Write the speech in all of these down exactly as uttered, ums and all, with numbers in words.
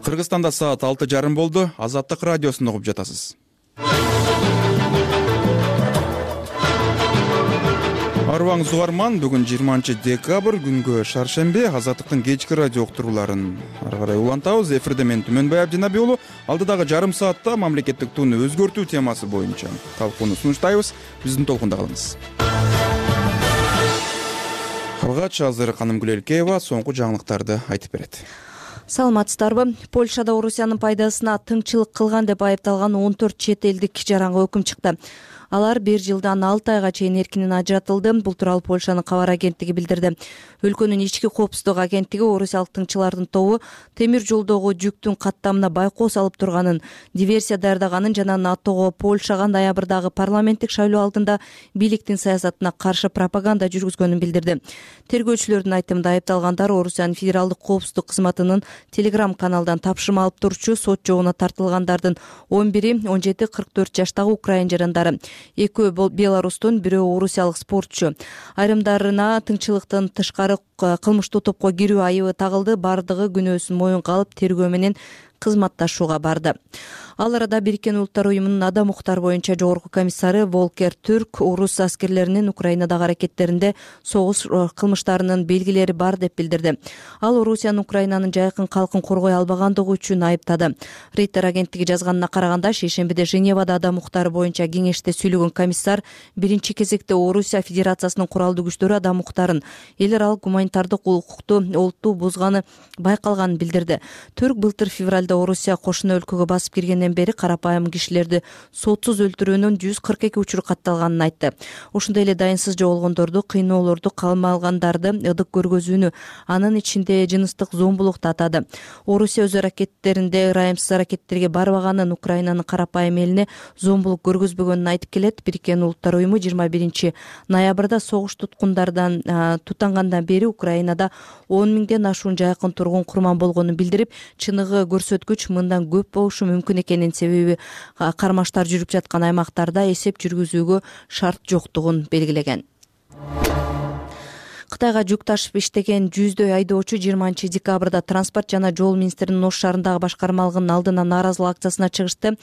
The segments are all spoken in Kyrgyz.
Кыргызстанда саат алты жарым болду. Азаттык радиосун угуп жатасыз. Арбаңыз угарман, бүгүн жыйырманчы декабрь, күнгө шаршембе. Азаттыктын кечки радио уктурууларын ары карай улантабыз. Эфирде мен Түмөнбай Абдинабий уулу. Алдыдагы жарым саатта мамлекеттик тууну өзгөртүү темасы боюнча талкууну сунуштайбыз. Биздин толкунда калыңыз. Алгач азыр Каным Гүлелкеева соңку жаңылыктарды айтып берет. Саламатсыздарбы? Польшада Орусиянын пайдасына тыңчылык кылган деп айыпталган он төрт чет элдик жаранга өкүм чыкты. Алар бир жылдан алты айга чейин эркинен ажыратылды. Бул тууралуу Польшанын кабар агенттиги билдирди. Өлкөнүн ички коопсуздук агенттиги орусиялык тыңчылардын тобу темир жолдогу жүктүн каттамына байкоо салып турганын, диверсия даярдаганын жана НАТОго Польшага ноябрдагы парламенттик шайлоо алдында бийликтин саясатына каршы пропаганда жүргүзгөнүн билдирди. Тергөөчүлөрдүн айтымында айыпталгандар Орусиянын федералдык коопсуздук кызматынын Telegram каналдан тапшырма алып турчу. Сот жогуна тартылгандардын он бири он жети кырк төрт жаштагы украин жарандары. Экөө Беларустун, бирөө орусиялык спортчу. Айрымдарына тыңчылыктан тышкары кылмыштуу топко кирүү айыбы тагылды. Бардыгы күнөөсүн моюнга алып тергөө менен кызматташууга барды. Ал арада Бириккен Улуттар уюмунун адам укуктары боюнча жогорку комиссары Волкер Түрк орус аскерлеринин Украинадагы аракеттеринде согуш кылмыштарынын белгилери бар деп билдирди. Ал Орусиянын Украинанын жайкын калкын коргой албагандыгы үчүн айыптады. Рейтер агенттиги жазганына караганда, шейшембиде Женевада адам укуктары боюнча кеңеште сүйлөгөн комиссар биринчи кезекте Орусия Федерациясынын куралдуу күчтөрү адам укуктарын, эл аралык гуманитардык укукту олуттуу бузганы байкалганын билдирди. Түрк былтыр февралда Орусия кошуна өлкөгө басып киргенден бери карапайым кишилерди сотсуз өлтүрүүнүн жүз кырк эки учуру катталганын айтты. Ошондой эле дайынсыз жоголгондорду, кыйноолорду, камалгандарды ыдык көргөзүүнү, анын ичинде жыныстык зомбулукту атады. Орусия өз аракеттеринде ырайымсыз аракеттерге барбаганын, Украинанын карапайым элине зомбулук көргөзбөгөнүн айтып келет. Бириккен Улуттар уюму жыйырма биринчи ноябрда согуш туткундардан тутангандан бери Украинада он миңден ашуун жайкын тургун курман болгонун билдирип, чыныгы көрсөткүч мындан көп болушу мүмкүн экенин, себеби кармаштар жүрүп жаткан аймактарда эсеп жүргүзүүгө шарт жоктугун белгилеген. Кытайга жүк ташып иштеген жүздөй айдоочу жыйырманчы декабрда транспорт жана жол министринин Ош шаарындагы башкармалыгынын алдына нааразылык акциясына чыгышты.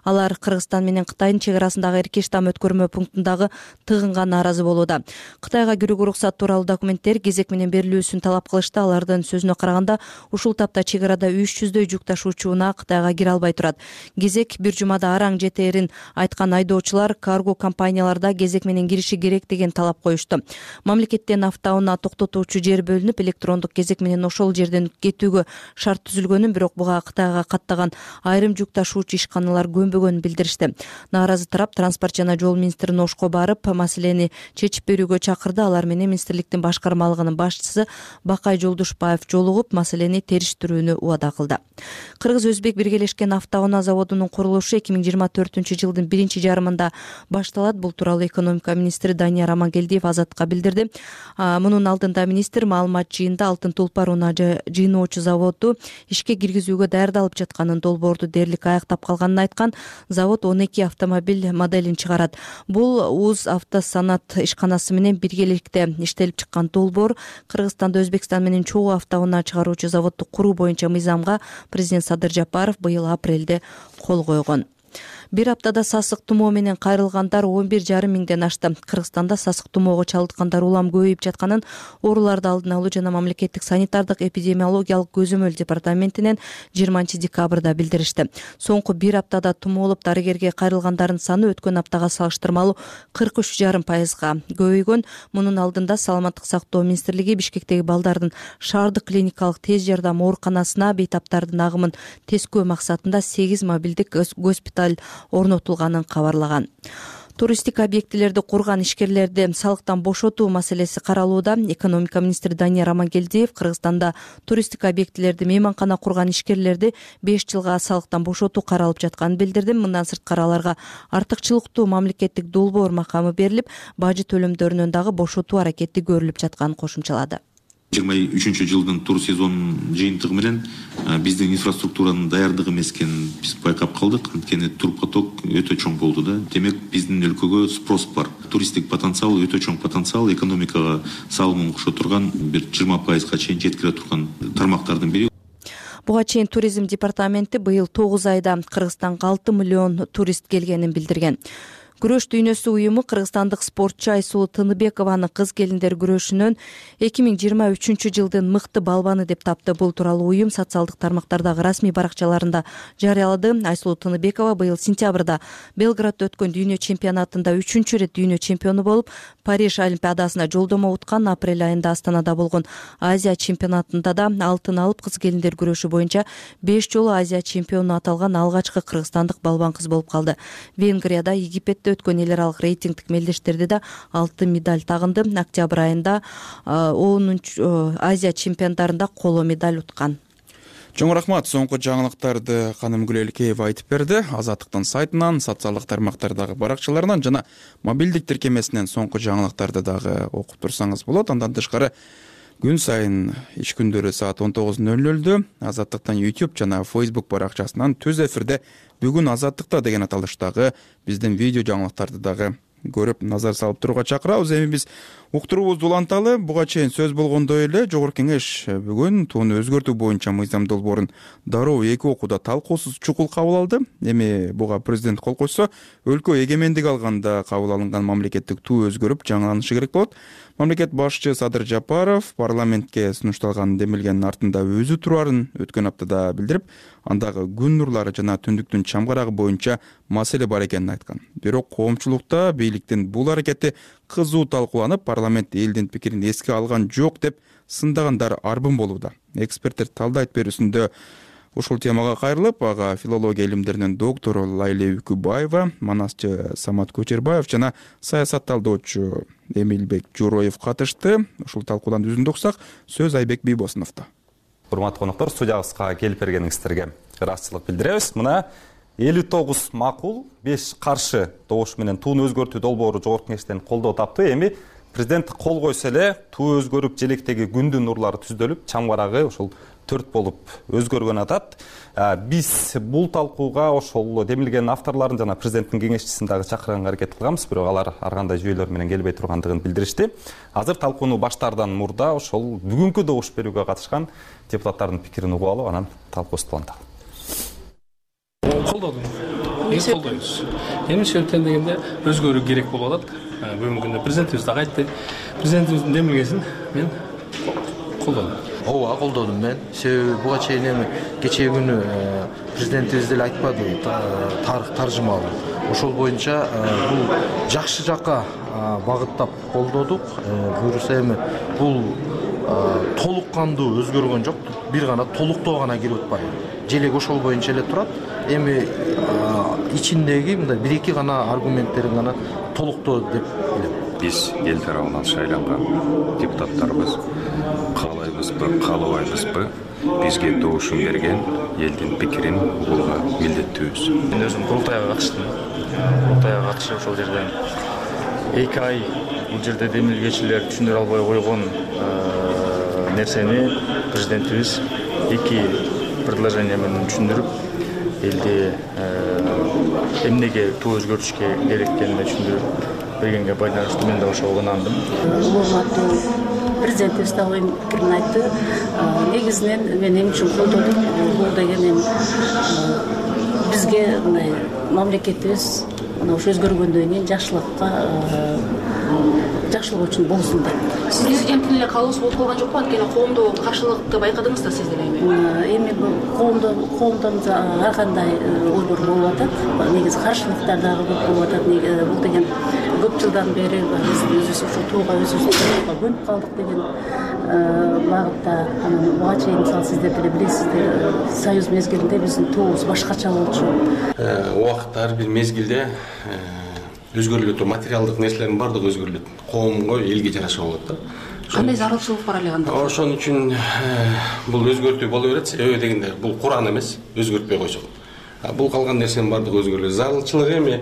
Алар Кыргызстан менен Кытайдын чек арасындагы эркеш там өткөрмө пунктундагы тыгынга нааразы болууда. Кытайга кирүүгө уруксат тууралуу документтер кезек менен берилүүсүн талап кылышты. Алардын сөзүнө караганда, ушул тапта чек арада үч жүздөй жүк ташуучу унаа Кытайга кире албай турат. Кезек бир жумада араң жетээрин айткан айдоочулар карго компанияларда кезек менен кириши керек деген талап коюшту. Мамлекеттен авто токтотуучу жер бөлүнүп, электрондук кезек менен ошол жерден кетүүгө шарт түзүлгөнүн, бирок буга Кытайга каттаган айрым жүк ташуучу ишканалар көнбөгөнүн билдиришти. Нааразы тарап транспорт жана жол министрин Ошко барып, маселени чечип берүүгө чакырды. Алар менен министрликтин башкармалыгынын башчысы Бакай Жолдушбаев жолугуп, маселени териштирүүнү убада кылды. Кыргыз-Өзбек биргелешкен автоунаа заводунун курулушу эки миң жыйырма төртүнчү жылдын биринчи жарымында башталат. Бул тууралуу экономика министри Данияр Амангелдиев Азаттыкка билдирди. Мунун алдында министр маалымат жыйында Алтын Тулпар унаа жыйноочу заводу ишке киргизүүгө даярдалып жатканын, долбоорду дээрлик аяктап калганын айткан. Завод он эки автомобиль моделин чыгарат. Бул УЗ автосанат ишканасы менен биргеликте иштелип чыккан долбоор. Кыргызстанда Өзбекстан менен чогуу автоунаа чыгаруучу заводду куруу боюнча мыйзамга президент Садыр Жапаров быйыл апрелде кол койгон. Бир аптада сасык тумоо менен кайрылгандар он бир жарым миңден ашты. Кыргызстанда сасык тумоого чалдыккандар улам көбөйүп жатканын ооруларды алдын алуу жана мамлекеттик санитардык эпидемиологиялык көзөмөл департаментинен жыйырманчы декабрда билдиришти. Соңку бир аптада тумоолуп дарыгерге кайрылгандардын саны өткөн аптага салыштырмалуу кырк үч жарым пайызга көбөйгөн. Мунун алдында Саламаттык сактоо министрлиги Бишкектеги балдардын шаардык клиникалык тез жардам ооруканасына бейтаптардын агымын тескөө максатында сегиз мобилдик госпиталь орнотулганын кабарлаган. Туристик объектилерди курган ишкерлерди салыктан бошотуу маселеси каралууда. Экономика министри Данияр Амангелдиев Кыргызстанда туристик объектилерди, мейманкана курган ишкерлерди беш жылга салыктан бошотуу каралып жатканын билдирди. Мындан сырткары аларга артыкчылыктуу мамлекеттик долбоор макамы берилип, бажы төлөмдөрүнөн дагы бошотуу аракети көрүлүп жатканын кошумчалады. жыйырма үчүнчү жылдын тур сезонунун жыйынтыгы менен биздин инфраструктуранын даярдыгы эмес экенин биз байкап калдык. Анткени турпоток өтө чоң болду да. Демек биздин өлкөгө спрос бар. Туристтик потенциал өтө чоң потенциал, экономикага салымын кошо турган бир жыйырма пайызга чейин жеткире турган тармактардын бири. Буга чейин туризм департаменти быйыл тогуз айда Кыргызстанга алты миллион турист келгенин билдирген. Күрөш дүйнөсү уюму кыргызстандык спортчу Айсулуу Тыныбекованы кыз келиндер күрөшүнөн эки миң жыйырма үчүнчү жылдын мыкты балбаны деп тапты. Бул тууралуу уюм социалдык тармактардагы расмий баракчаларында жарыялады. Айсулуу Тыныбекова быйыл сентябрда Белградда өткөн дүйнө чемпионатында үчүнчү ирет дүйнө чемпиону болуп, Париж олимпиадасына жолдомо уткан. Апрель айында Астанада болгон Азия чемпионатында да алтын алып, кыз келиндер күрөшү боюнча беш жолу Азия чемпиону аталган алгачкы кыргызстандык балбан кыз болуп калды. Венгрияда, Египетте өткөн эл аралык рейтингдик мелдештерде да алтын медаль тагынды. Октябрь айында онунчу Азия чемпионаттарында коло медаль уткан. Чоң рахмат. Соңку жаңылыктарды Каным Гүлелкеева айтып берди. Азаттыктын сайтынан, социалдык тармактардагы баракчаларынан жана мобилдик тиркемесинен соңку жаңылыктарды дагы окуп турсаңыз болот. Андан тышкары күн сайын иш күндөрү саат он тогуз ноль нольдө Азаттыктын YouTube жана Facebook баракчасынан түз эфирде бүгүн Азаттыкта деген аталыштагы биздин видео жаңылыктарды дагы көрүп назар салып турууга чакырабыз. Эми биз уктуруубузду уланталы. Буга чейин сөз болгондой эле Жогорку Кеңеш бүгүн тууну өзгөртүү боюнча мыйзам долбоорун дароо эки окууда талкуусуз чукул кабыл алды. Эми буга президент кол койсо, өлкө эгемендик алганда кабыл алынган мамлекеттик туу өзгөрүп жаңыланышы керек болот. Мамлекет башчы Садыр Жапаров парламентке сунушталган демилгенин артында өзү турарын өткөн аптада билдирип, андагы күн нурлары жана түндүктүн чамгарагы боюнча маселе бар экенин айткан. Бирок коомчулукта бийликтин бул аракети кызуу талкууланып, парламент элдин пикирин эске алган жок деп сындагандар арбын болууда. Эксперттер талдайт берүүсүндө ушул темага кайрылып, ага филология илимдеринин доктору Лайле Үкүбаева, манасчы Самат Көчербаев жана саясат талдоочу Эмилбек Журоев катышты. Ушул талкуудан үзүндү уксак, сөз Айбек Бийбосуновдо. Урматтуу коноктор, студиябызга келип бергениңиздерге ыраазычылык билдиребиз. Мына элүү тогуз макул, беш каршы добуш менен тууну өзгөртүү долбоору Жогорку Кеңештен колдоо тапты. Эми президент кол койсо эле туу өзгөрүп, желектеги күндүн нурлары түздөлүп, чамгарагы ошол төрт болуп өзгөргөн атат. Биз бул талкууга ошол демилгенин авторлорун жана президенттин кеңешчисин дагы чакырганга аракет кылганбыз, бирок алар ар кандай жүйөлөр менен келбей тургандыгын билдиришти. Азыр талкууну баштаардан мурда ошол бүгүнкү добуш берүүгө катышкан депутаттардын пикирин угуп алып, анан талкуубузду уланталы. Колдодум. Мен колдойбуз. Эмне себептен дегенде өзгөрүү керек болуп атат. Бүгүнкү күндө президентибиз дагы айтты. Президентибиздин демилгесин мен колдодум. Ооба, колдодум мен. Себеби буга чейин эми кечээ күнү президентибиз деле айтпады, тарых таржымалы. Ошол боюнча бул жакшы жакка багыттап колдодук. Буюрса эми бул толук кандуу өзгөргөн жок, бир гана толуктоо гана кирип атпайбы. Желек ошол боюнча эле турат. Эми ичиндеги мындай бир эки гана аргументтерин гана толуктоо деп билем. Биз эл тарабынан шайланган депутаттарыбыз каалайбызбы, каалабайбызбы, бизге добушун берген элдин пикирин угууга милдеттүүбүз. Мен өзүм курултайга катыштым. Курултайга катышып ошол жерден эки ай бул жерде демилгечилер түшүндүрө албай койгон нерсени президентибиз эки предложение менен түшүндүрүп, элди эмнеге туу өзгөртүшкө керек экенин түшүндүрүп бергенге байланыштуу мен да ошого ынандым. Урматтуу президентибиз дагы пикирин айтты. Негизинен мен эмне үчүн колдодум? Бул деген эми бизге мындай мамлекетибиз мына ошо өзгөргөндөн кийин жакшылыкка жакшылык үчүн болсун деп. Сиз президенттин эле каалоосу болуп калган жокпу? Анткени коомдо каршылыкты байкадыңыз да сиз деле эми. Эми бул коомдо коомдон ар кандай ойлор болуп атат. Негизи каршылыктар дагы көп болуп атат. Бул деген көп жылдан бери биз өзүбүз ошо тууга өзүбүз көнүп калдык деген багытта. Анан буга чейин мисалы сиздер деле билесиздер, союз мезгилинде биздин туубуз башкача болчу. Убакытта ар бир мезгилде өзгөрүлөт, материалдык нерселердин баардыгы өзгөрүлөт. Коомго, элге жараша болот да. Кандай зарылчылык бар эле анда? Ошон үчүн бул өзгөртүү боло берет. Себеби дегенде бул Куран эмес, өзгөртпөй койсок. Бул калган нерсенин баардыгы өзгөрүлөт. Зарылчылык эми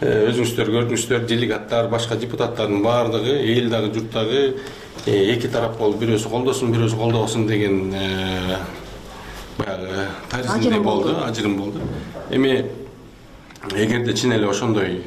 өзүңүздөр көрдүңүздөр, делегаттар, башка депутаттардын баардыгы эл дагы журт дагы эки тарап болуп, бирөөсү колдосун, бирөөсү колдобосун деген баягы таризмде болду, ажырым болду. Эми эгерде чын эле ошондой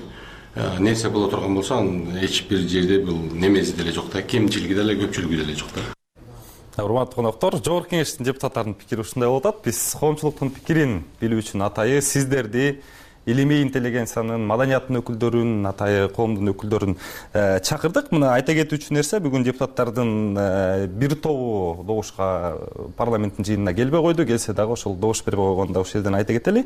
нерсе боло турган болсо, эч бир жерде бул немеси деле жок да, кемчилиги деле, көпчүлүгү деле жок да. Урматтуу коноктор, жогорку кеңештин депутаттарынын пикири ушундай болуп атат. Биз коомчулуктун пикирин билүү үчүн атайы сиздерди, илимий интеллигенциянын, маданияттын өкүлдөрүн, атайы коомдун өкүлдөрүн чакырдык. Мына айта кетүүчү нерсе, бүгүн депутаттардын бир тобу добушка парламенттин жыйынына келбей койду. Келсе дагы ошол добуш бербей койгонду ошол жерден айта кетели.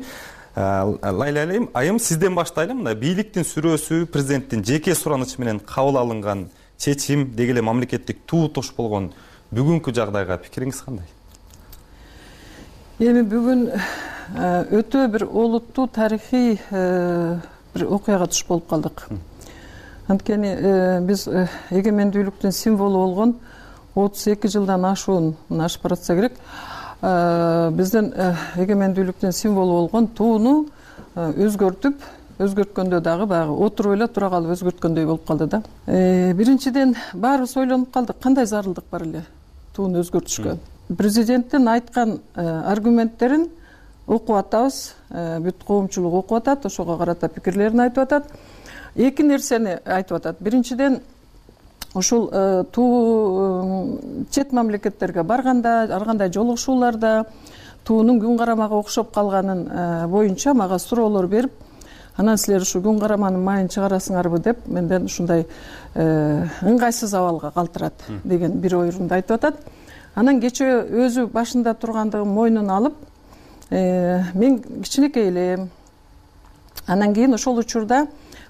Лайла айым, сизден баштайлы. Мына бийликтин сүрөөсү, президенттин жеке суранычы менен кабыл алынган чечим, деги эле мамлекеттик туу туш болгон бүгүнкү жагдайга пикириңиз кандай? Эми бүгүн өтө бир олуттуу тарыхый бир окуяга туш болуп калдык. Анткени биз эгемендүүлүктүн символу болгон отуз эки жылдан ашуун, мына ашып баратса керек, биздин эгемендүүлүктүн символу болгон тууну өзгөртүп, өзгөрткөндө дагы баягы отуруп эле тура калып өзгөрткөндөй болуп калды да. Биринчиден баарыбыз ойлонуп калдык, кандай зарылдык бар эле тууну өзгөртүшкө. Президенттин айткан аргументтерин окуп атабыз, бүт коомчулук окуп атат, ошого карата пикирлерин айтып атат. Эки нерсени айтып атат. Биринчиден, ушул туу чет мамлекеттерге барганда, ар кандай жолугушууларда туунун күн карамага окшоп калганын боюнча мага суроолор берип, анан силер ушу күн караманын майын чыгарасыңарбы деп менден ушундай ыңгайсыз абалга калтырат деген бир ойрунду айтып атат. Анан кечээ өзү башында тургандыгын мойнуна алып, мен кичинекей элем. Анан кийин ошол учурда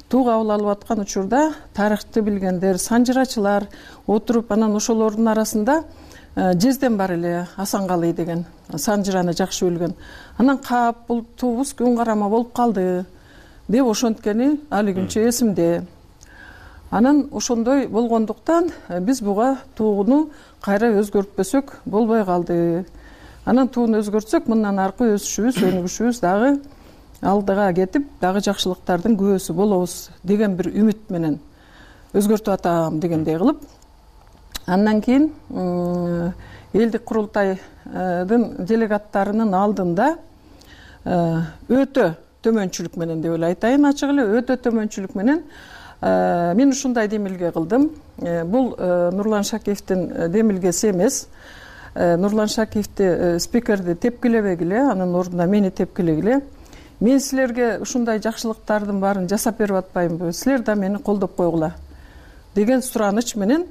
туу кабыл алып аткан учурда тарыхты билгендер, санжырачылар отуруп, анан ошолордун арасында Жезден бар эле, Асанкалый деген санжыраны жакшы билген. Анан кап бул туубуз күн карама болуп калды деп ошонткени али күнчө эсимде. Анан ошондой болгондуктан биз буга тууну кайра өзгөртпөсөк болбой калды. Анан тууну өзгөртсөк, мындан аркы өсүшүбүз, өнүгүшүбүз дагы алдыга кетип, дагы жакшылыктардын күбөсү болобуз деген бир үмүт менен өзгөртүп атам дегендей кылып. Андан кийин элдик курултайдын делегаттарынын алдында өтө төмөнчүлүк менен деп эле айтайын, ачык эле өтө төмөнчүлүк менен мен ушундай демилге кылдым. Бул Нурлан Шакиевдин демилгеси эмес. Нурлан Шакиевди спикерди тепкилебегиле, анын ордуна мени тепкилегиле. Мен силерге ушундай жакшылыктардын баарын жасап берип атпаймынбы? Силер да мени колдоп койгула деген сураныч менен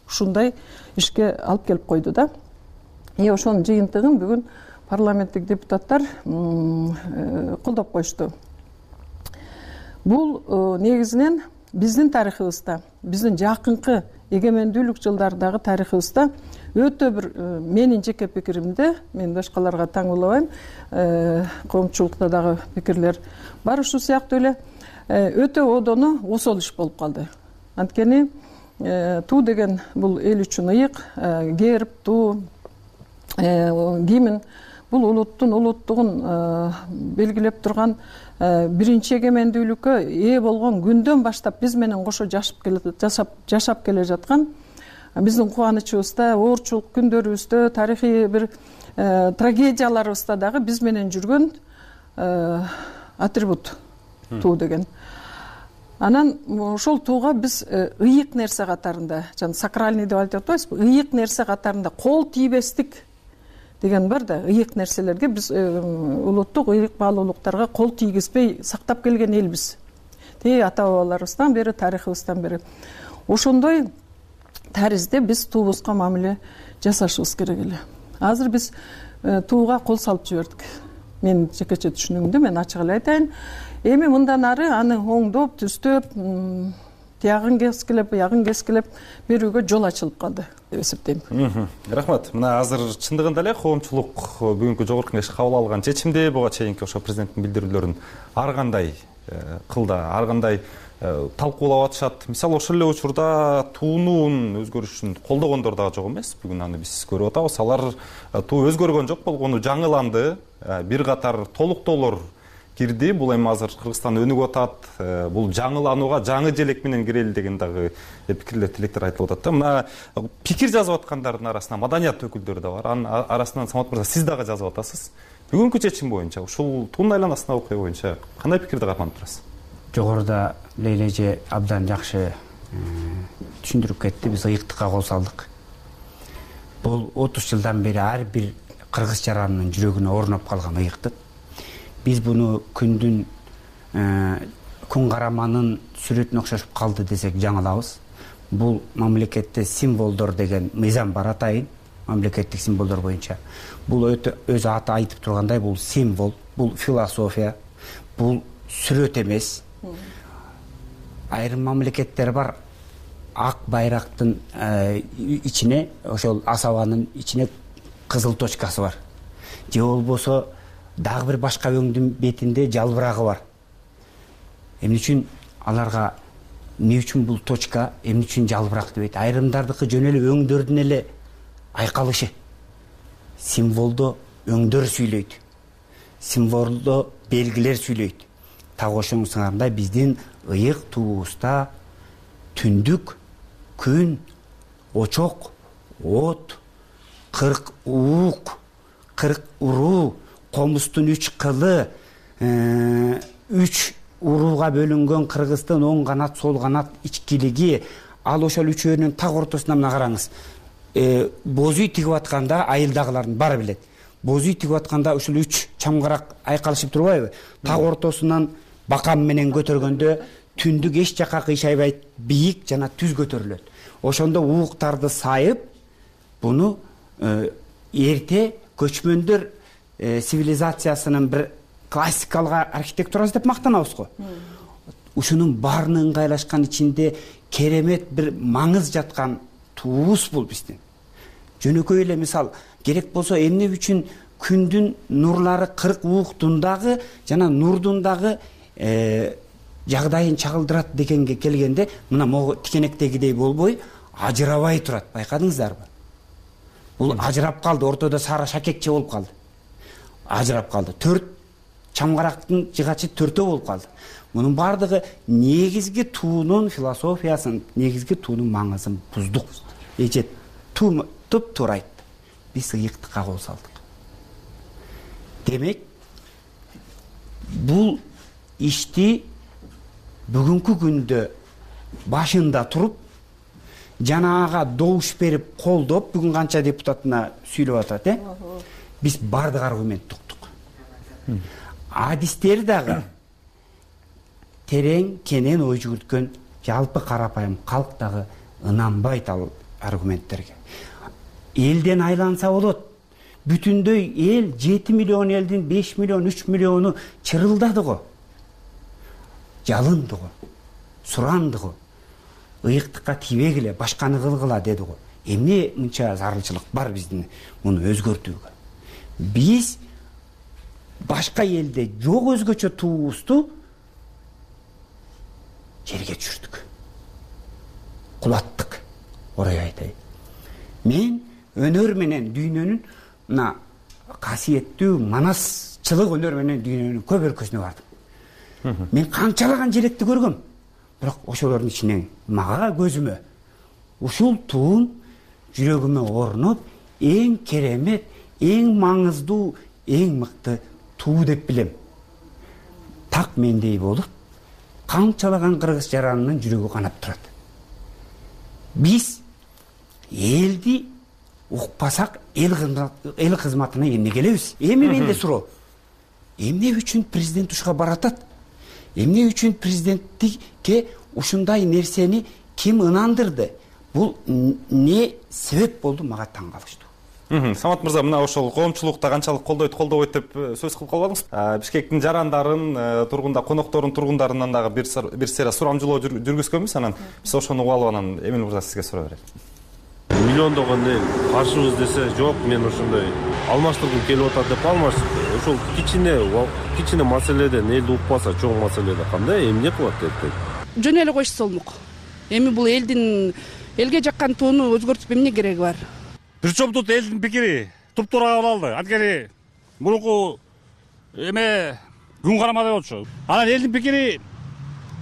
ушундай ишке алып келип койду да. И ошонун жыйынтыгын бүгүн парламенттик депутаттар колдоп коюшту. Бул негизинен биздин тарыхыбызда, биздин жакынкы эгемендүүлүк жылдардагы тарыхыбызда өтө бир, менин жеке пикиримде, мен башкаларга таңуулабайм, коомчулукта дагы пикирлер бар ушу сыяктуу эле, өтө одону осол иш болуп калды. Анткени туу деген бул эл үчүн ыйык, герб, туу, гимн бул улуттун улуттугун белгилеп турган биринчи эгемендүүлүккө ээ болгон күндөн баштап биз менен кошо жашап келе жашап жашап келе жаткан биздин кубанычыбызда, оорчулук күндөрүбүздө, тарыхый бир трагедияларыбызда дагы биз менен жүргөн атрибут туу деген. Анан ошол тууга биз ыйык нерсе катарында, жана сакральный деп айтып атпайбызбы, ыйык нерсе катарында кол тийбестик деген бар да, ыйык нерселерге биз улуттук ыйык баалуулуктарга кол тийгизбей сактап келген элбиз. Те ата бабаларыбыздан бери, тарыхыбыздан бери. Ошондой таризде биз туубузга мамиле жасашыбыз керек эле. Азыр биз тууга кол салып жибердик. Мен жекече түшүнүгүмдө мен ачык эле айтайын. Эми мындан ары аны оңдоп, түздөп, тиягын кескилеп, буягын кескилеп берүүгө жол ачылып калды деп эсептейм. Рахмат. Мына азыр чындыгында эле коомчулук бүгүнкү жогорку кеңеш кабыл алган чечимди, буга чейинки ошо президенттин билдирүүлөрүн ар кандай кылда, ар кандай талкуулап атышат. Мисалы, ошол эле учурда туунун өзгөрүшүн колдогондор дагы жок эмес. Бүгүн аны биз көрүп атабыз. Алар туу өзгөргөн жок болгону жаңыланды. Бир катар толуктоолор кирди. Бул эми азыр Кыргызстан өнүгүп атат. Бул жаңыланууга жаңы желек менен кирели деген дагы пикирлер, тилектер айтылып атат да. Мына пикир жазып аткандардын арасында маданият өкүлдөрү да бар. Анын арасынан Самат мырза, сиз дагы жазып атасыз. Бүгүнкү чечим боюнча, ушул туунун айланасындагы окуя боюнча кандай пикирди карманып турасыз? Жогоруда Лейла эже абдан жакшы түшүндүрүп кетти. Биз ыйыктыкка кол салдык. бул отуз жылдан бери ар бир кыргыз жаранынын жүрөгүнө орноп калган ыйыктык. Биз буну күндүн күн караманын сүрөтүнө окшошуп калды десек жаңылабыз. Бул мамлекетте символдор деген мыйзам бар атайын, мамлекеттик символдор боюнча. Бул өтө өз аты айтып тургандай, бул символ, бул философия, бул сүрөт эмес. Айрым мамлекеттер бар, ак байрактын ичине, ошол асабанын ичине кызыл точкасы бар. Же болбосо дагы бир башка өңдүн бетинде жалбырагы бар. Эмне үчүн аларга эмне үчүн бул точка, эмне үчүн жалбырак дебейт? Айрымдардыкы жөн эле өңдөрдүн эле айкалышы. Символдо өңдөр сүйлөйт. Символдо белгилер сүйлөйт. Так ошоңсуңардай биздин ыйык туубузда түндүк, күн, очок, от, кырк уук, кырк уруу, комустун үч кылы, үч урууга бөлүнгөн Кыргыздын оң канат, сол канат ичкилиги, ал ошол үчөөнүн так ортосуна мына караңыз. Боз үй тигип атканда айылдагылардын баары билет. Боз үй тигип атканда ушул үч чамгарак айкалышып турбайбы? Так ортосунан бакам менен көтөргөндө түндүк эч жакка кыйшайбайт, бийик жана түз көтөрүлөт. Ошондо ууктарды сайып, буну эрте көчмөндөр цивилизациясынын бир классикалык архитектурасы деп мактанабыз го. Ушунун баарына ыңгайлашкан ичинде керемет бир маңыз жаткан туубуз бул биздин. Жөнөкөй эле мисал, керек болсо эмне үчүн күндүн нурлары кырк ууктун дагы жана нурдун дагы жагдайын чагылдырат дегенге келгенде, мына могу тикенектегидей болбой, ажырабай турат. Байкадыңыздарбы? Бул ажырап калды, ортодо сары шакекче болуп калды. Ажырап калды. Төрт чамгарактын жыгачы төртөө болуп калды. Мунун бардыгы негизги туунун философиясын, негизги туунун маңызын буздук. Эже туп туура айтты. Биз ыйыктыкка кол салдык. Демек, бул ишти бүгүнкү күндө башында туруп, жанаага добуш берип колдоп, бүгүн канча депутатына сүйлөп атат, э? Биз бардык аргументти уктук. Адистер дагы терең, кенен ой жүгүрткөн жалпы карапайым калк дагы ынанбайт ал аргументтерге. Элден айланса болот. Бүтүндөй эл, жети миллион элдин беш миллион, үч миллиону чырылдады го. Жалынды го. Суранды го. Ыйыктыкка тийбегиле, башканы кылгыла деди го. Эмне мынча зарылчылык бар биздин муну өзгөртүүгө? Биз башка элде жок өзгөчө туубузду жерге түшүрдүк. Кулаттык. Орой айтайын. Мен өнөр менен дүйнөнүн мына касиеттүү манасчылык өнөр менен дүйнөнүн көп өлкөсүнө бардым. Мен канчалаган желекти көргөм. Бирок ошолордун ичинен мага көзүмө ушул туун жүрөгүмө орноп, эң керемет, эң маңыздуу, эң мыкты туу деп билем. Так мендей болуп, канчалаган кыргыз жаранынын жүрөгү канап турат. Биз элди укпасак, эл кызматына эмне келебиз? Эми менде суроо. Эмне үчүн президент ушуга баратат? Эмне үчүн президенттикке ушундай нерсени ким ынандырды? Бул не себеп болду, мага таң калыштуу. Самат мырза, мына ошол коомчулукта канчалык колдойт, колдобойт деп сөз кылып калбадыңыз? Бишкектин жарандарын, тургунда коноктордун тургундарынан дагы бир сера сурамжылоо жүргүзгөнбүз, анан биз ошону угуп алып анан Эмил мырза сизге суроо берет. Миллиондогон эл каршыбыз десе, жок, мен ошондой алмаштыргым келип атат деп алмаштырды. Ошол кичине кичине маселеден элди укпаса, чоң маселеде кандай эмне кылат деп. Жөн эле койсо болмок. Эми бул элдин элге жаккан тууну өзгөртүп эмне кереги бар? Бир чоңдут элдин пикири туп-туура кабыл алды. Анткени мурунку эме күн карамада болчу. Анан элдин пикири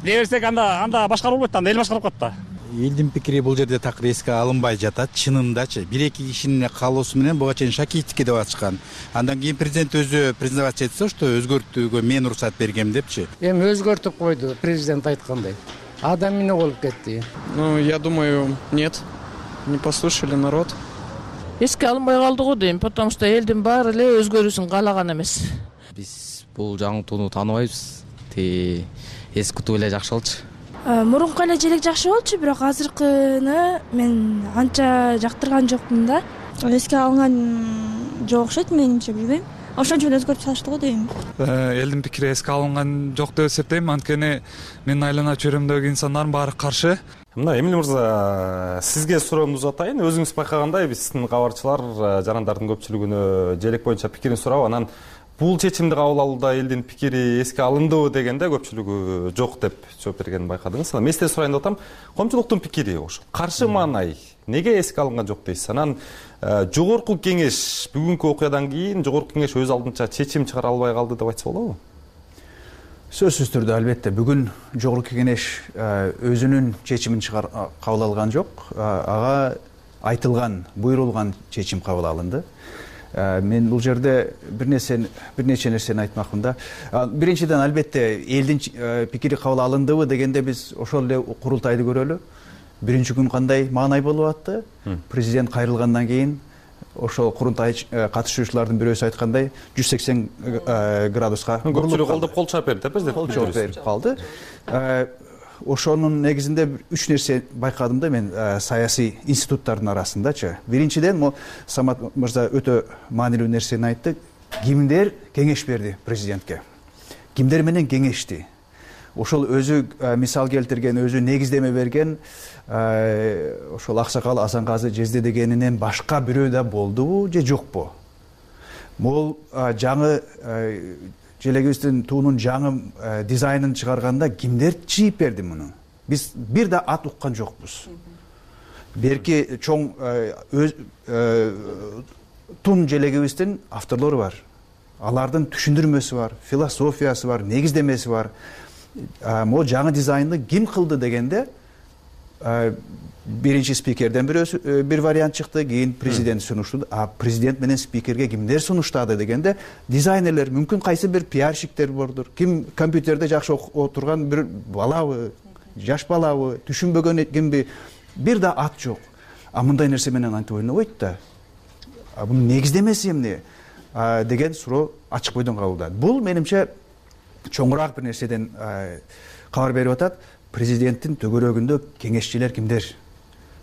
дей берсек, анда анда башкарып болбойт, анда эл башкарып катты. Элдин пикири бул жерде такыр эске алынбай жатат. Чынындачы бир эки кишинин каалоосу менен буга чейин Шакиевдикке деп ачкан. Андан кийин президент өзү признавать этсе, что өзгөртүүгө мен уруксат бергем депчи. Эми өзгөртүп койду, президент айткандай. Адам эмне болуп кетти? Ну, я думаю, нет. Не послушали народ. эске алынбай калды го дейм, потому что элдин баары эле өзгөрүүсүн каалаган эмес. Биз бул жаңылтууну тааныбайбыз. Ти эскитүү эле жакшы болчу. Мурунку эле желек жакшы болчу, бирок азыркыны мен анча жактырган жокмун да. Эске алынган жок окшойт менимче, билбейм. Ошончо өзгөртүп салышты го дейм. Элдин пикири эске алынган жок деп эсептейм, анткени менин айланып чөйрөмдөгү инсандардын баары каршы. Мына Эмиль мырза, сизге суроону узатайын. Өзүңүз байкагандай, биздин кабарчылар жарандардын көпчүлүгүнө желек боюнча пикирин сурап, анан бул чечимди кабыл алууда элдин пикири эске алындыбы дегенде көпчүлүгү жок деп жооп бергенин байкадыңыз. Анан мен сизден сурайын деп атам, коомчулуктун пикири ошо каршы маанай неге эске алынган жок дейсиз? Анан жогорку кеңеш бүгүнкү окуядан кийин жогорку кеңеш өз алдынча чечим чыгара албай калды деп айтса болобу? Сөзсүз түрдө албетте бүгүн жогорку кеңеш өзүнүн чечимин кабыл алган жок. Ага айтылган, буйрулган чечим кабыл алынды. Мен бул жерде бир нерсени бир нече нерсени айтмакмын да. Биринчиден албетте элдин пикири кабыл алындыбы дегенде биз ошол эле курултайды көрөлү. Биринчи күн кандай маанай болуп атты? Президент кайрылгандан кийин ошол курултай катышуучулардын бирөөсү айткандай жүз сексен градуска көпчүлүк колдоп кол чаап берди, президент кол чаап берип калды. Ошонун негизинде үч нерсе байкадым да мен саясий институттардын арасындачы. Биринчиден, мо Самат мырза өтө маанилүү нерсени айтты. Кимдер кеңеш берди президентке? Кимдер менен кеңешти? Ошол өзү мисал келтирген, өзү негиздеме берген ошол Аксакал Асанказы Жезде дегенинен башка бирөө да болдубу же жокпу? Могул жаңы желегибиздин туунун жаңы дизайнын чыгарганда кимдер чийип берди муну? Биз бир да ат уккан жокпуз. Берки чоң тун желегибиздин авторлору бар. Алардын түшүндүрмөсү бар, философиясы бар, негиздемеси бар. Могу жаңы дизайнды ким кылды дегенде биринчи спикерден бирөөсү бир вариант чыкты, кийин президент сунуштады. А президент менен спикерге кимдер сунуштады дегенде дизайнерлер, мүмкүн кайсы бир пиарщиктер бордур. Ким компьютерде жакшы отурган бир балабы, жаш балабы, түшүнбөгөн кимби, бир да ат жок. А мындай нерсе менен антип ойнобойт да. А бунун негиздемеси эмне деген суроо ачык бойдон кабылдады. Бул менимче чоңураак бир нерседен кабар берип атат. Президенттин төгөрөгүндө кеңешчилер кимдер?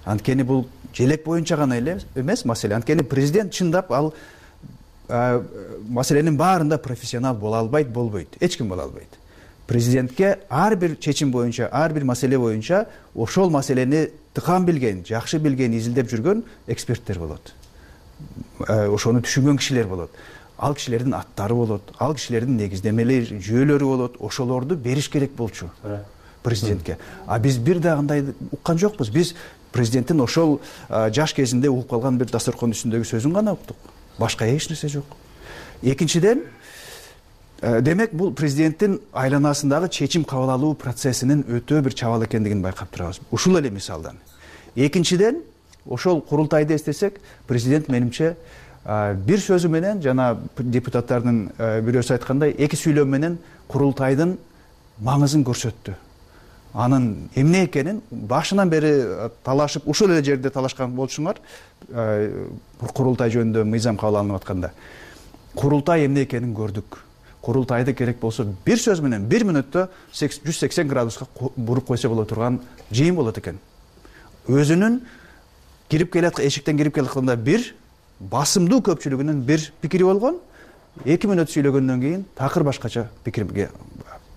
Анткени бул желек боюнча гана эле эмес маселе. Анткени президент чындап ал маселенин баарында профессионал боло албайт, болбойт. Эч ким боло албайт. Президентке ар бир чечим боюнча, ар бир маселе боюнча ошол маселени тыкан билген, жакшы билген, изилдеп жүргөн эксперттер болот. Ошону түшүнгөн кишилер болот. Ал кишилердин аттары болот, ал кишилердин негиздемелери, жүйөлөрү болот. Ошолорду бериш керек болчу президентке. А биз бир да андай уккан жокпуз. Биз президенттин ошол жаш кезинде угуп калган бир дасторкон үстүндөгү сөзүн гана уктук. Башка эч нерсе жок. Экинчиден, демек бул президенттин айланасындагы чечим кабыл алуу процессинин өтө бир чабал экендигин байкап турабыз. Ушул эле мисалдан. Экинчиден, ошол курултайды эстесек, президент менимче бир сөзү менен, жана депутаттардын бирөөсү айткандай, эки сүйлөм менен курултайдын маңызын көрсөттү. Анын эмне экенин башынан бери талашып, ушул эле жерде талашкан болчуңар, курултай жөнүндө мыйзам кабыл алынып атканда. Курултай эмне экенин көрдүк. Курултайды керек болсо бир сөз менен бир мүнөттө жүз сексен градуска буруп койсо боло турган жыйын болот экен. Өзүнүн кирип келаткан эшиктен кирип келатканда бир басымдуу көпчүлүгүнүн бир пикири болгон, эки мүнөт сүйлөгөндөн кийин такыр башкача пикирге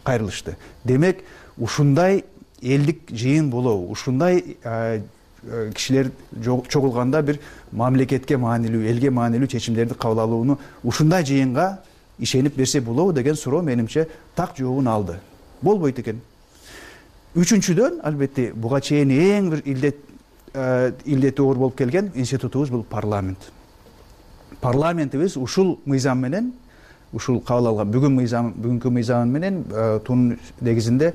кайрылышты. Демек, ушундай элдик жыйын болобу, ушундай кишилер чогулганда бир мамлекетке маанилүү, элге маанилүү чечимдерди кабыл алууну ушундай жыйынга ишенип берсе болобу деген суроо менимче так жообун алды. Болбойт экен. Үчүнчүдөн, албетте, буга чейин эң бир илдет илдети оор болуп келген институтубуз бул парламент. Парламентибиз ушул мыйзам менен, ушул кабыл алган бүгүн мыйзам, бүгүнкү мыйзам менен тунун негизинде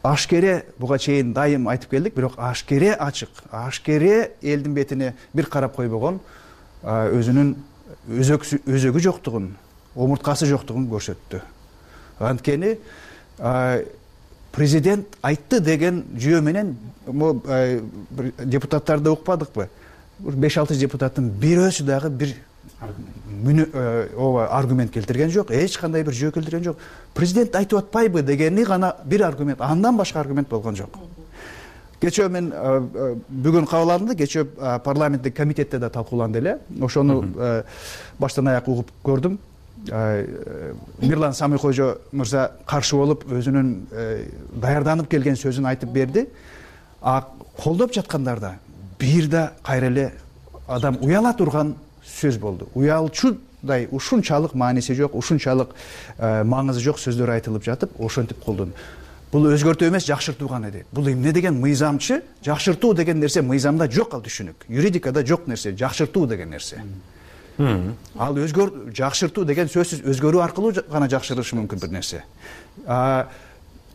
ашкере, буга чейин дайым айтып келдик, бирок ашкере ачык, ашкере элдин бетине бир карап койбогон, өзүнүн өзөгү жоктугун, омурткасы жоктугун көрсөттү. Анткени президент айтты деген жүйө менен депутаттарды укпадыкпы? беш алты депутаттын бирөөсү дагы бир ооба аргумент келтирген жок, эч кандай бир жөө келтирген жок. Президент айтып атпайбы дегени гана бир аргумент, андан башка аргумент болгон жок. Кечээ мен бүгүн кабыл алынды, кечээ парламенттик комитетте да талкууланды эле. Ошону баштан аяк угуп көрдүм. Мирлан Самыйкожо мырза каршы болуп өзүнүн даярданып келген сөзүн айтып берди. А колдоп жаткандарда бир да кайра эле адам уяла турган сөз болду. Уялчудай ушунчалык мааниси жок, ушунчалык маңызы жок сөздөр айтылып жатып, ошентип колдону. Бул өзгөртүү эмес, жакшыртуу гана дейт. Бул эмне деген мыйзамчы? Жакшыртуу деген нерсе мыйзамда жок, ал түшүнүк. Юридикада жок нерсе, жакшыртуу деген нерсе. Ал өзгөр жакшыртуу деген сөзсүз өзгөрүү аркылуу гана жакшырышы мүмкүн бир нерсе.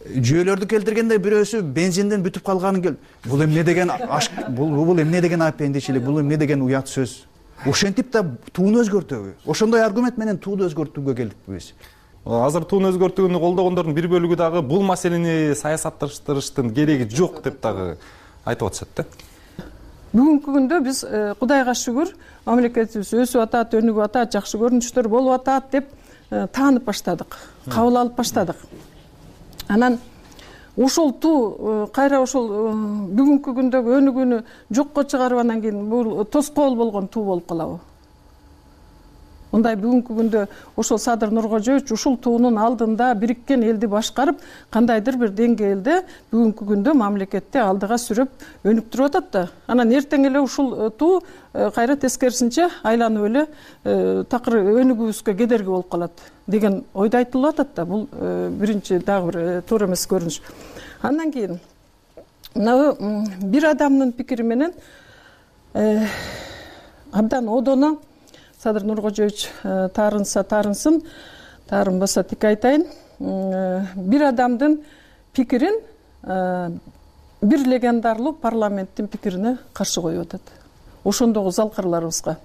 Жүйөлөрдү келтиргенде бирөөсү бензинден бүтүп калганын кел. Бул эмне деген бул бул эмне деген апендичилик, бул эмне деген уят сөз. Ошентип да тууну өзгөртөбү? Ошондой аргумент менен тууну өзгөртүүгө келдикпи биз. Азыр тууну өзгөртүүнү колдогондордун бир бөлүгү дагы бул маселени саясатташтырыштын кереги жок деп дагы айтып атышат да. Бүгүнкү күндө биз Кудайга шүгүр, мамлекетибиз өсүп атат, өнүгүп атат, жакшы көрүнүштөр болуп атат деп таанып баштадык, кабыл алып баштадык. Анан ошол туу кайра ошол бүгүнкү күндөгү өнүгүүнү жокко чыгарып анан кийин бул тоскоол болгон туу болуп калабы? Мындай бүгүнкү күндө ошол Садыр Нуркожоевич ушул туунун алдында бириккен элди башкарып, кандайдыр бир деңгээлде бүгүнкү күндө мамлекетти алдыга сүрөп өнүктүрүп атат да. Анан эртең эле ушул туу кайра тескерисинче айланып эле такыр өнүгүүбүзгө кедерги болуп калат деген ойдо айтылып атат да. Бул биринчи дагы бир туура эмес көрүнүш. Андан кийин мына бир адамдын пикири менен абдан одоно Садыр Нуркожоевич таарынса таарынсын, таарынбаса тик айтайын. Бир адамдын пикирин бир легендарлуу парламенттин пикирине каршы коюп атат. Ошондогу залкарларыбызга.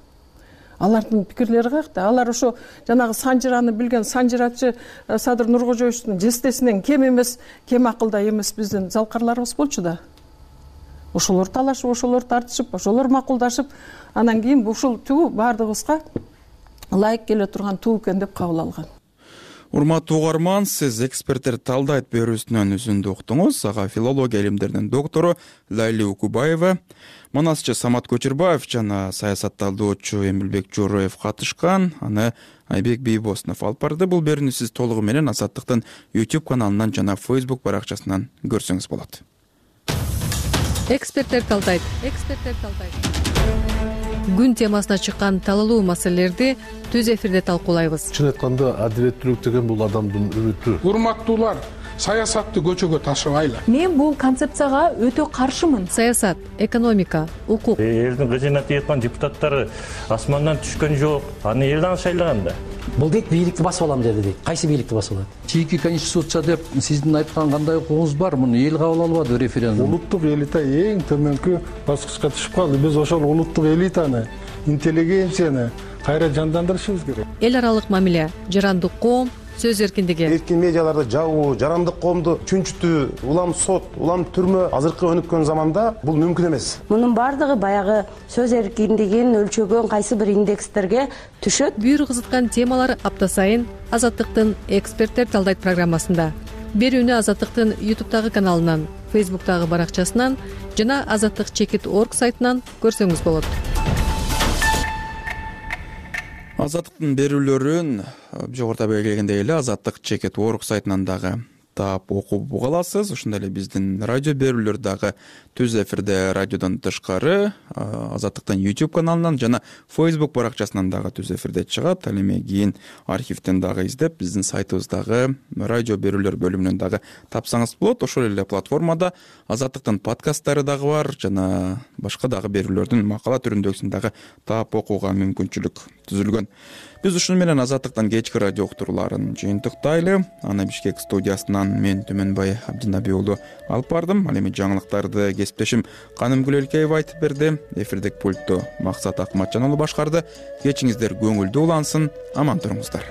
Алардын пикирлери каякта? Алар ошо жанагы санжыраны билген санжырачы Садыр Нуркожоевичтин жестесинен кем эмес, кем акылда эмес биздин залкарларыбыз болчу да. Ошолор талашып, ошолор тартышып, ошолор макулдашып, анан кийин ушул туу баардыгыбызга ылайык келе турган туу экен деп кабыл алган. Урматтуу угарман, сиз эксперттер талдайт берүүсүнөн үзүндү уктуңуз. Ага филология илимдеринин доктору Лайли Укубаева, манасчы Самат Көчүрбаев жана саясатталдоочу Эмилбек Жороев катышкан. Аны Айбек Бийбосунов алып барды. Бул берүүнү сиз толугу менен Азаттыктын YouTube каналынан жана Facebook баракчасынан көрсөңүз болот. Эксперттер талдайт. Эксперттер талдайт. Күн темасына чыккан талалуу маселелерди түз эфирде талкуулайбыз. Чын айтканда адилеттүүлүк деген бул адамдын үмүтү. Урматтуулар, саясатты көчөгө ташыбайлы. Мен бул концепцияга өтө каршымын. Саясат, экономика, укук. Элдин кызына тийеткан депутаттары асмандан түшкөн жок. Аны элден шайлаган да. Бул дейт бийликти басып алам деди дейт. Кайсы бийликти басып алат? Чийки конституция деп сиздин айткан кандай укугуңуз бар? Муну эл кабыл албады референдум. Улуттук элита эң төмөнкү баскычка түшүп калды. Биз ошол улуттук элитаны, интеллигенцияны кайра жандандырышыбыз керек. Эл аралык мамиле, жарандык коом, сөз эркиндиги. Эркин медиаларды жабуу, жарандык коомду чүнчүтүү, улам сот, улам түрмө азыркы өнүккөн заманда бул мүмкүн эмес. Мунун бардыгы баягы сөз эркиндигин өлчөгөн кайсы бир индекстерге түшөт. Бүйүр кызыткан темалар апта сайын Азаттыктын эксперттер талдайт программасында. Берүүнү Азаттыктын YouTube'дагы каналынан, Facebook'тагы баракчасынан жана азаттык чекит точка орг сайтынан көрсөңүз болот. Азаттыктын берүүлөрүн жогоруда белгилегендей эле азаттык чекит точка орг сайтынан дагы таап окуп уга аласыз. Ошондой эле биздин радио берүүлөр дагы түз эфирде радиодон тышкары Азаттыктын YouTube каналынан жана Facebook баракчасынан дагы түз эфирде чыгат. Ал эми кийин архивден дагы издеп биздин сайтыбыздагы радио берүүлөр бөлүмүнөн дагы тапсаңыз болот. Ошол эле платформада Азаттыктын подкасттары дагы бар жана башка дагы берүүлөрдүн макала түрүндөгүсүн дагы таап окууга мүмкүнчүлүк түзүлгөн. Биз ушуну менен Азаттыктан кечки радио уктурууларын жыйынтыктайлы. Аны Бишкек студиясынан мен Түмөнбай Абдинабий уулу алып бардым. Ал эми жаңылыктарды кесиптешим Канымгүл Элкеева айтып берди. Эфирдик пультту Максат Акматжан уулу башкарды. Кечиңиздер көңүлдүү улансын, аман туруңуздар.